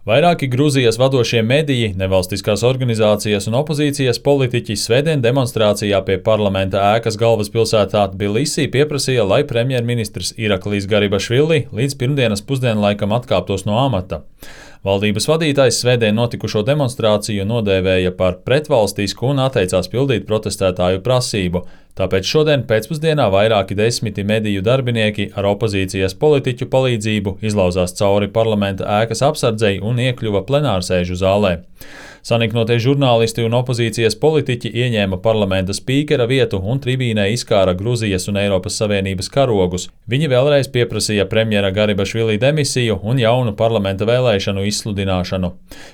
Vairāki Gruzijas vadošie mediji, nevalstiskās organizācijas un opozīcijas politiķi svētdien demonstrācijā pie parlamenta ēkas galvaspilsētā Tbilisī pieprasīja, lai premjerministrs Iraklijs Garibašvili līdz pirmdienas pusdienlaikam atkāptos no amata. Valdības vadītājs svētdien notikušo demonstrāciju nodēvēja par pretvalstisku un atteicās pildīt protestētāju prasību. Tāpēc šodien pēcpusdienā vairāki desmiti mediju darbinieki ar opozīcijas politiķu palīdzību izlauzās cauri parlamenta ēkas apsardzei un iekļuva plenārsēžu zālē. Saniknotie žurnālisti un opozīcijas politiķi ieņēma parlamenta spīkera vietu un tribīnē izkāra Gruzijas un Eiropas Savienības karogus. Viņi vēlreiz pieprasīja premjera Garibašvili demisiju un jaunu parlamenta vēlēšanu izsludināšanu.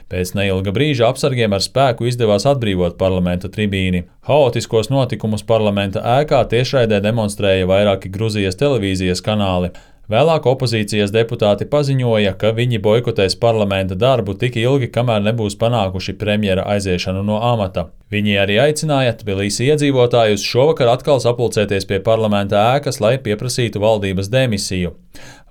Pēc neilga brīža apsargiem ar spēku izdevās atbrīvot parlamenta tribīni. Haotiskos notikumus parlamenta ēkā tiešraidē demonstrēja vairāki Gruzijas televīzijas kanāli. Vēlāk opozīcijas deputāti paziņoja, ka viņi boikotēs parlamenta darbu tik ilgi, kamēr nebūs panākuši premjera aiziešanu no amata. Viņi arī aicināja Tbilisi iedzīvotājus šovakar atkal sapulcēties pie parlamenta ēkas, lai pieprasītu valdības demisiju.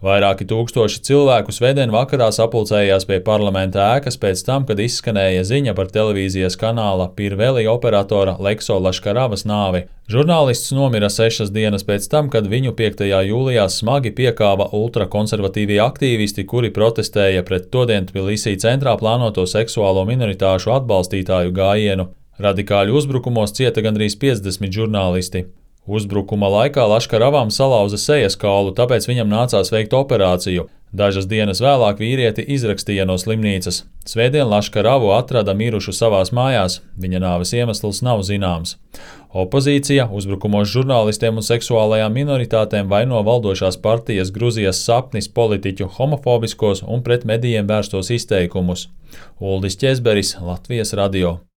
Vairāki tūkstoši cilvēku svētdien vakarā sapulcējās pie parlamenta ēkas pēc tam, kad izskanēja ziņa par televīzijas kanāla Pirveli operatora Lekso Laškaravas nāvi. Žurnālists nomira 6 dienas pēc tam, kad viņu 5. jūlijā smagi piekāva ultrakonservatīvie aktīvisti, kuri protestēja pret todien Tbilisī centrā plānoto seksuālo minoritāšu atbalstītāju gājienu. Radikāļu uzbrukumos cieta gandrīz 50 žurnālisti. Uzbrukuma laikā Laškaravam salauza sejas kaulu, tāpēc viņam nācās veikt operāciju. Dažas dienas vēlāk vīrieti izrakstīja no slimnīcas. Svētdien Laškaravu atrada mirušu savās mājās, viņa nāves iemesls nav zināms. Opozīcija uzbrukumos žurnālistiem un seksuālajām minoritātēm vaino valdošās partijas Gruzijas sapnis politiķu homofobiskos un pret medijiem vērstos izteikumus. Uldis Ķezberis, Latvijas radio.